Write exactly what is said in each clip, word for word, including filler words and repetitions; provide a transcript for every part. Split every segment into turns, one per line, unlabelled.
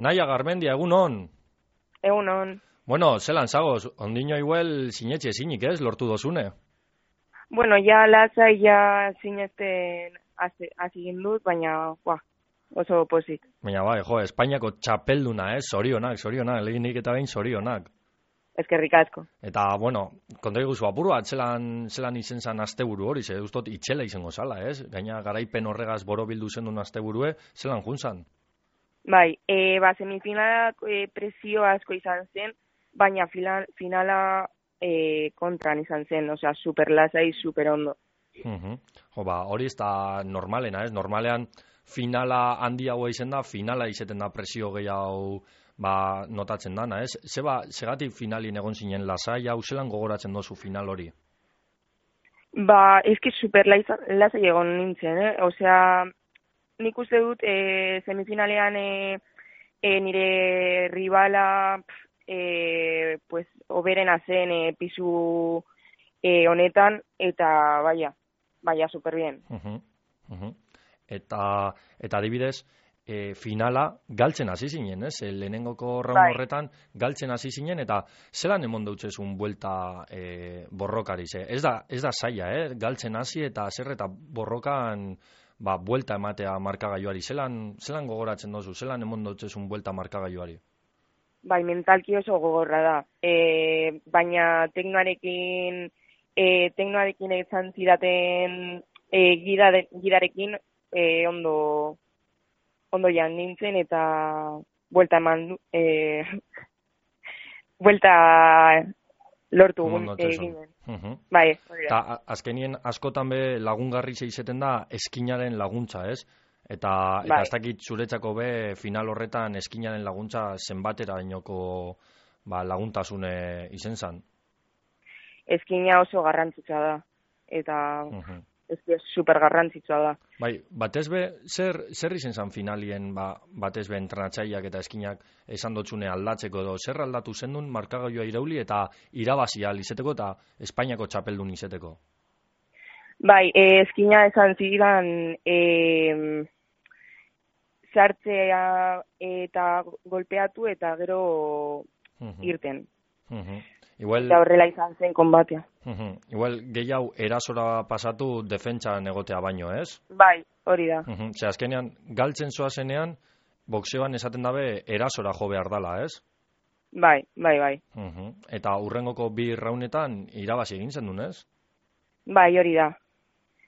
Naia Garmendia, egunon.
Egunon.
Bueno, zelan zagoz, ondino igual sinetxe ezinik ez, lortu dozune?
Bueno, ja lasai ja sinesten hasi dut, baina buah, oso pozik.
Baina bai, jo, Espainiako txapelduna, ez, zorionak, zorionak, lehenik eta behin zorionak.
Eskerrik asko.
Eta, bueno, konta iguzu apuru bat, zelan, zelan izen zan asteburu hori, ze ustot itxela izango zala, ez? Gaina garaipen horregaz borobildu zendun asteburue, zelan juntzan?
Bai, e, ba, semifinalak e, presio asko izan zen, baina final, finala e, kontran izan zen, osea, super lasai, super ondo.
Uh -huh. Jo, ba, hori ez da normalena, ez? Normalean finala handiagoa izen da, finala izeten da presio gehiago ba, notatzen dana, ez? Zeba, segatik finalin egon zinen lasai, hau zelan gogoratzen dozu final hori?
Ba, eski super lasai egon nintzen, eh? Osea, nik uste dut e, semifinalean e, e, nire ribala e, pues, oberena zen e, pisu e, honetan, eta baia, baia super bien.
Uh -huh. Uh -huh. Eta, eta adibidez, e, finala galtzen hasi zinen, ez? E, lehenengoko raun
bai.
horretan galtzen hasi zinen, eta zelan emon dautzezun buelta e, borrokari, ze? Ez da, ez da zaila, eh? Galtzen hasi eta zer eta borrokan ba, buelta ematea markagailuari. Zelan, zelan gogoratzen dozu, zelan emon dautzezun buelta markagailuari?
Bai, mentalki oso gogorra da. E, baina teknoarekin, e, teknoarekin izan zidaten e, gidare, gidarekin e, ondo, ondo jan nintzen eta buelta eman du, e, buelta lortu egin.
Uh -huh.
Bai,
eta azkenien askotan be lagungarri zeizeten da eskinaren laguntza, ez? Eta, eta
bai.
ez dakit zuretzako be final horretan eskinaren laguntza zenbatera inoko ba, laguntasune izen zan?
Eskina oso garrantzitsua da, eta uh -huh. ez super garrantzitsua da.
Bai, batez be, zer, zer izen zan finalien ba, batez be entrenatzaileak eta eskinak esan dotzune aldatzeko edo, zer aldatu zendun markagailua irauli eta irabazi ahal izeteko eta Espainiako txapeldun izeteko?
Bai, e, eskina esan zidan e, sartzea eta golpeatu eta gero uh-huh. irten.
Uh-huh. Igual,
eta horrela izan zen konbatea.
Uh-huh. Igual gehiago erasora pasatu defentsan egotea baino, ez?
Bai, hori da.
Uh-huh. Ze azkenean, galtzen zoazenean, boxeoan esaten dabe erasora jo behar dala, ez?
Bai, bai, bai.
Uh-huh. Eta hurrengoko bi raunetan irabazi egin zendun, ez?
Bai, hori da.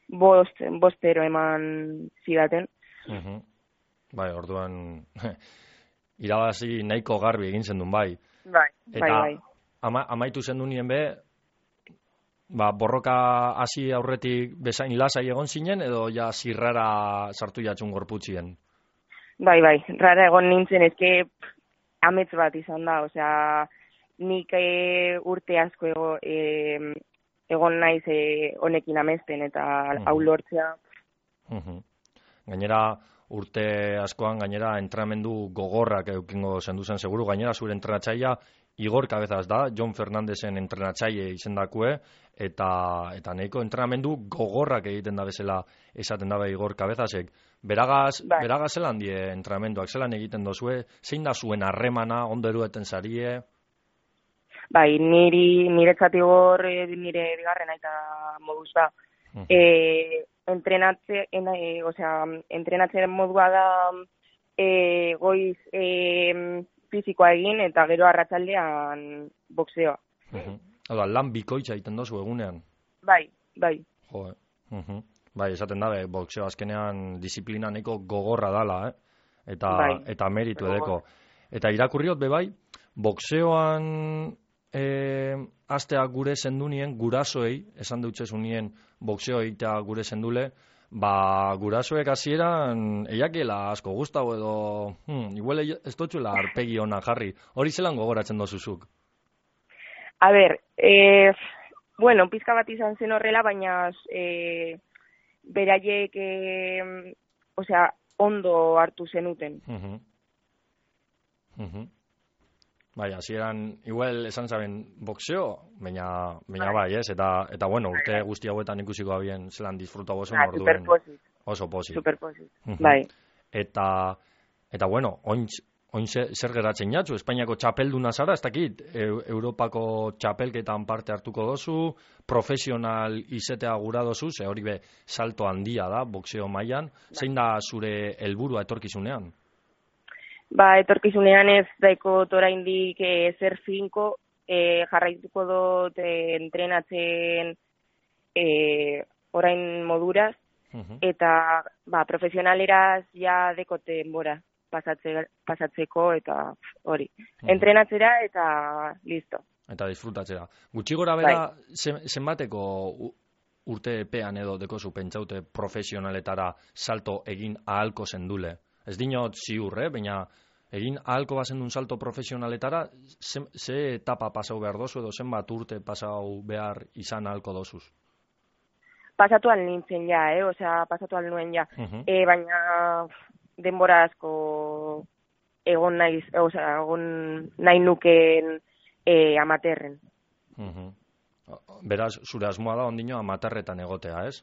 Bost, bostero eman zidaten.
Uh-huh. Bai, orduan irabazi nahiko garbi egin zendun, bai.
Bai,
eta,
bai, bai.
Ama, amaitu zendu nien be, ba, borroka hasi aurretik bezain lasai egon zinen, edo ja zirrara sartu jatxun gorputzien?
Bai, bai, rara egon nintzen, ezke amets bat izan da, osea, nik e, urte asko ego, e, egon naiz e, honekin amesten, eta uh-huh. hau lortzea.
Uh-huh. Gainera, urte askoan, gainera, entrenamendu gogorrak eukingo zendu zen seguru, gainera zure entrenatzaia Igor Cabezas da, Jon Fernandezen entrenatzaile izendakue, eta eta nahiko entrenamendu gogorrak egiten da bezala esaten dabe Igor Cabezasek. Beragaz, bai. beragaz zelan die entrenamenduak, zelan egiten dozue, zein da zuen harremana, ondo erueten zarie?
Bai, niri, niretzat Igor, nire bigarren aita moduz da. Uh-huh. E, entrenatze, en, e, osea, entrenatzen modua da e, goiz... E, fizikoa egin eta gero arratsaldean boxeoa.
Uh-huh. Hala, lan bikoitza egiten dozu egunean?
Bai, bai.
Jo, uh-huh. Bai, esaten dabe, boxeo azkenean disiplina neko gogorra dala, eh? Eta, bai. eta meritu edeko. Eta irakurriot be bai, boxeoan eh, astea gure zendunien, gurasoei, esan dutzezunien boxeo egitea gure zendule, ba, gurasoek hasieran eiakela asko gustau edo hmm, igual ez dutxula arpegi ona jarri. Hori zelan gogoratzen dozuzuk?
A ber, eh, bueno, pizka bat izan zen horrela, baina eh, beraiek eh, osea, ondo hartu zenuten.
Uh-huh. Uh-huh. Bai, hasieran igual esan zaben boxeo, baina, baina bai, ez? Eta, eta bueno, urte guzti hauetan ikusiko abien zelan disfrutau oso
ah,
orduen.
Super posit.
Oso posit.
Super posit,
uh-huh.
bai.
Eta, eta bueno, ointz, oin zer geratzen jatzu, Espainiako txapelduna zara, ez dakit, e, Europako txapelketan parte hartuko dozu, profesional izetea gura dozu, ze hori be salto handia da, boxeo mailan, zein da zure helburua etorkizunean?
Ba, etorkizunean ez daiko oraindik e, zer finko, e, jarraituko dut e, entrenatzen e, orain moduraz, uh-huh. eta ba, profesionaleraz ja dekote denbora pasatze, pasatzeko eta hori. Uh-huh. Entrenatzera eta listo.
Eta disfrutatzera. Gutxi gora bera, bai. Zenbateko urte epean edo dekozu pentsaute profesionaletara salto egin ahalko zendule? Ez dinot ziur, eh? Baina egin ahalko bazendun salto profesionaletara, ze, ze etapa pasau behar dozu edo zenbat urte pasau behar izan ahalko dozuz?
Pasatu al nintzen ja, eh? Osea, pasatu al nuen ja. Uh-huh. E, baina denbora asko egon naiz, osea, egon nahi nukeen e, amaterren.
Uh-huh. Beraz, zure asmoa da ondino amaterretan egotea, ez?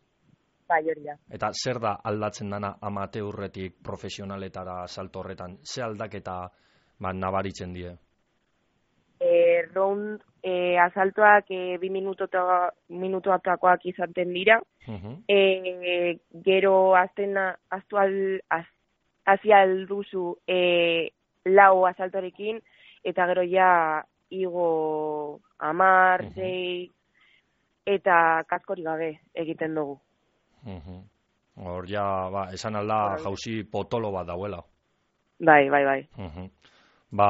Bai, hori da.
Eta zer da aldatzen dana amateurretik profesionaletara salto horretan? Ze aldaketa ba, nabaritzen die?
E, round e, asaltoak e, bi minutuatakoak izaten dira. Uh-huh. e, gero azten aztu al, az, hazi alduzu e, lau asaltorekin, eta gero ja igo amar, uh-huh. zei, eta kaskori gabe egiten dugu.
Uh-huh. Hor ja, ba, esan alda jauzi potolo bat dauela.
Bai, bai, bai.
Uh-huh. Ba,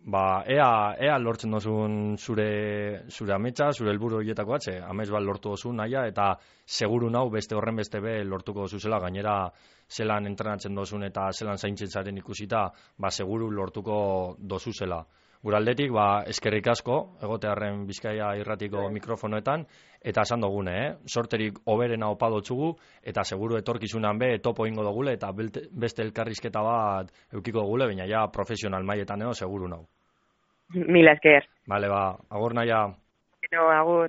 ba, ea, ea lortzen dozun zure, zure ametsa, zure helburu horietako atxe, amets bat lortu dozu naia, eta seguru nau beste horren beste be lortuko dozuzela, gainera zelan entrenatzen dozun eta zelan zaintzen zaren ikusita, ba, seguru lortuko dozuzela. Guraldetik, ba, eskerrik asko, egotearren Bizkaia irratiko mikrofonoetan, eta esan dugune, eh? Sorterik oberena opa dotzugu, eta seguru etorkizunan be, topo ingo dugule, eta beste elkarrizketa bat eukiko dugule, baina ja profesional maietan edo, seguru nau.
Mila esker.
Bale, ba, agur naia.
No, agur.